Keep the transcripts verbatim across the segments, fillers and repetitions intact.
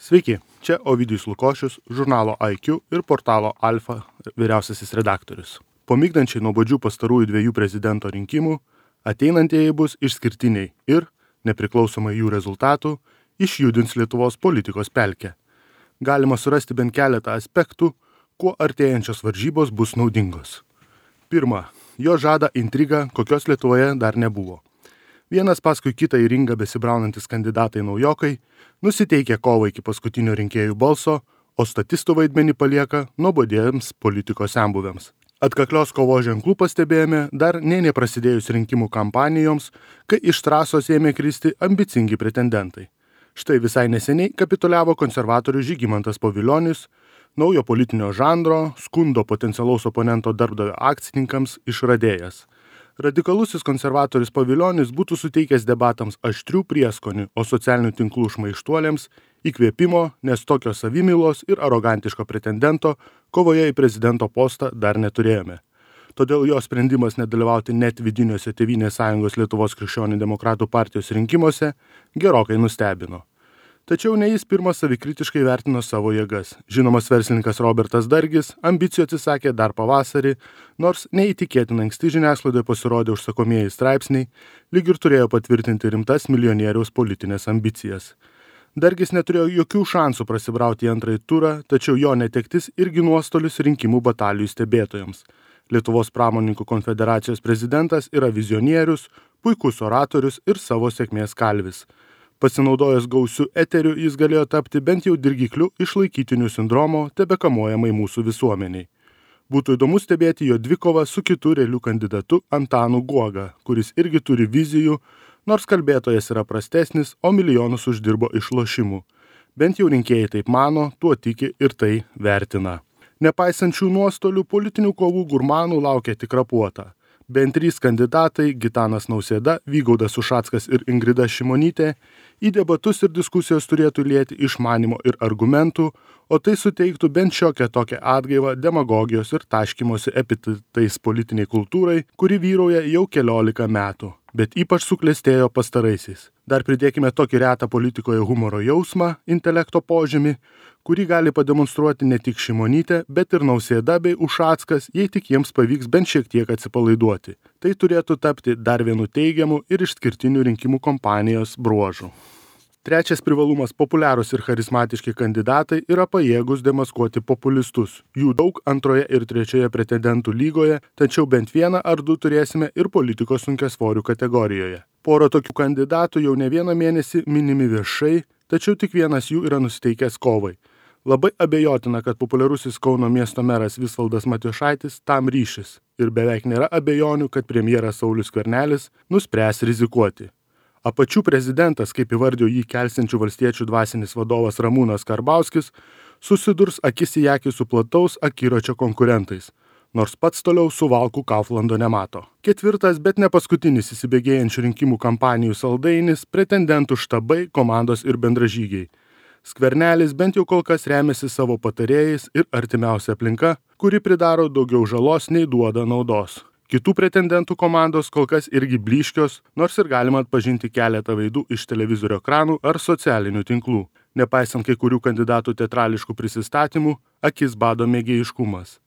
Sveiki, čia Ovidijus Lukošius, žurnalo I Q ir portalo Alfa vyriausiasis redaktorius. Po migdančiai nuobodžių pastarųjų dviejų prezidento rinkimų, ateinantieji bus išskirtiniai ir, nepriklausomai jų rezultatų, išjudins Lietuvos politikos pelkę. Galima surasti bent keletą aspektų, kuo artėjančios varžybos bus naudingos. Pirma, jo žada intriga, kokios Lietuvoje dar nebuvo. Vienas paskui kitą į ringą besibraunantis kandidatai naujokai nusiteikia kovą iki paskutinio rinkėjų balso, o statistų vaidmenį palieka nuobodiems politikos senbuviams. Atkaklios kovos ženklų pastebėjome dar nė neprasidėjus rinkimų kampanijoms, kai iš trasos ėmė kristi ambicingi pretendentai. Štai visai neseniai kapituliavo konservatorius Žygimantas Pavilionis, naujo politinio žanro, skundo potencialaus oponento darbdavio akcininkams išradėjas. Radikalusis konservatorius Pavilionis būtų suteikęs debatams aštrių prieskonių, o socialinių tinklų šmaištuoliams įkvėpimo, nes tokio savimylos ir arogantiško pretendento kovoje į prezidento postą dar neturėjome. Todėl jo sprendimas nedalyvauti net vidiniuose Tėvynės sąjungos Lietuvos krikščionių demokratų partijos rinkimuose gerokai nustebino. Tačiau ne jis pirmas savikritiškai vertino savo jėgas. Žinomas verslininkas Robertas Dargis ambicijų atsisakė dar pavasarį, nors neįtikėtinai anksti žiniasklaidoje pasirodė užsakomieji straipsniai, lyg ir turėjo patvirtinti rimtas milijonieriaus politinės ambicijas. Dargis neturėjo jokių šansų prasibrauti į antrąjį turą, tačiau jo netektis irgi nuostolius rinkimų batalijų stebėtojams. Lietuvos pramonininkų konfederacijos prezidentas yra vizionierius, puikus oratorius ir savo sėkmės kalvis. Pasinaudojęs gausiu eteriu, jis galėjo tapti bent jau dirgikliu išlaikytinių sindromo tebekamuojamai mūsų visuomeniai. Būtų įdomu stebėti jo dvikovą su kitu realiu kandidatu Antanu Guoga, kuris irgi turi vizijų, nors kalbėtojas yra prastesnis, o milijonus uždirbo iš lošimų. Bent jau rinkėjai taip mano, tuo tiki ir tai vertina. Nepaisant šių nuostolių, politinių kovų gurmanų laukia tikra puota. Bent trys kandidatai – Gitanas Nausėda, Vygaudas Ušackas ir Ingrida Šimonytė – į debatus ir diskusijos turėtų lieti išmanimo ir argumentų, o tai suteiktų bent šiokią tokią atgaivą demagogijos ir taškymosi epitetais politiniai kultūrai, kuri vyrauja jau keliolika metų, bet ypač suklestėjo pastaraisiais. Dar pridėkime tokį retą politikoje humoro jausmą, intelekto požymį, kurį gali pademonstruoti ne tik Šimonytė, bet ir Nausėda bei Ušackas, jei tik jiems pavyks bent šiek tiek atsipalaiduoti. Tai turėtų tapti dar vienu teigiamu ir išskirtiniu rinkimų kampanijos bruožu. Trečias privalumas – populiarūs ir charizmatiški kandidatai yra pajėgus demaskuoti populistus. Jų daug antroje ir trečioje pretendentų lygoje, tačiau bent vieną ar du turėsime ir politikos sunkiasvorių kategorijoje. Porą tokių kandidatų jau ne vieną mėnesį minimi viešai, tačiau tik vienas jų yra nusiteikęs kovai. Labai abejotina, kad populiarusis Kauno miesto meras Visvaldas Matijošaitis tam ryšis ir beveik nėra abejonių, kad premjeras Saulius Skvernelis nuspręs rizikuoti. Apačių prezidentas, kaip įvardijo jį kelsiančių valstiečių dvasinis vadovas Ramūnas Karbauskis, susidurs akis į akį su plataus akiračio konkurentais, nors pats toliau suvalkų Kauflando nemato. Ketvirtas, bet ne paskutinis įsibėgėjančių rinkimų kampanijų saldainis – pretendentų štabai, komandos ir bendražygiai. Skvernelis bent jau kol kas remiasi savo patarėjais ir artimiausia aplinka, kuri pridaro daugiau žalos nei duoda naudos. Kitų pretendentų komandos kol kas irgi blyškios, nors ir galima atpažinti keletą veidų iš televizorio ekranų ar socialinių tinklų. Nepaisant kai kurių kandidatų teatrališkų prisistatymų, akis bado mėgėjiškumas.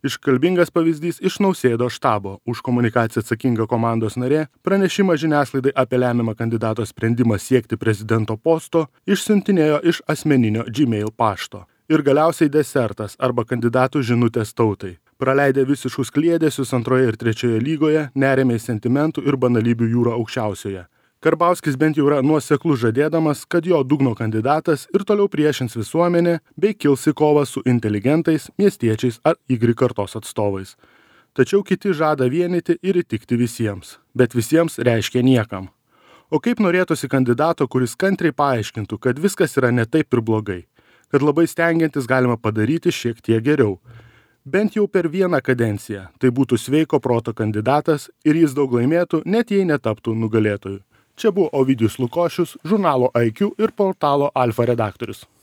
Iškalbingas pavyzdys iš Nausėdos štabo. Už komunikaciją atsakinga komandos narė pranešimą žiniasklaidai apie lemiamą kandidato sprendimą siekti prezidento posto išsiuntinėjo iš asmeninio Gmail pašto. Ir galiausiai desertas arba kandidatų žinutės tautai. Praleidę visiškus kliedesius antroje ir trečioje lygoje, nerėmė į sentimentų ir banalybių jūrą aukščiausioje. Karbauskis bent jau yra nuoseklus žadėdamas, kad jo dugno kandidatas ir toliau priešins visuomenę bei kils į kovą su inteligentais, miestiečiais ar Y kartos atstovais. Tačiau kiti žada vienyti ir įtikti visiems, bet visiems reiškia niekam. O kaip norėtųsi kandidato, kuris kantriai paaiškintų, kad viskas yra ne taip ir blogai, kad labai stengiantis galima padaryti šiek tiek geriau. Bent jau per vieną kadenciją tai būtų sveiko proto kandidatas ir jis daug laimėtų, net jei netaptų nugalėtojų. Čia buvo Ovidijus Lukošius, žurnalo I Q ir portalo Alfa redaktorius.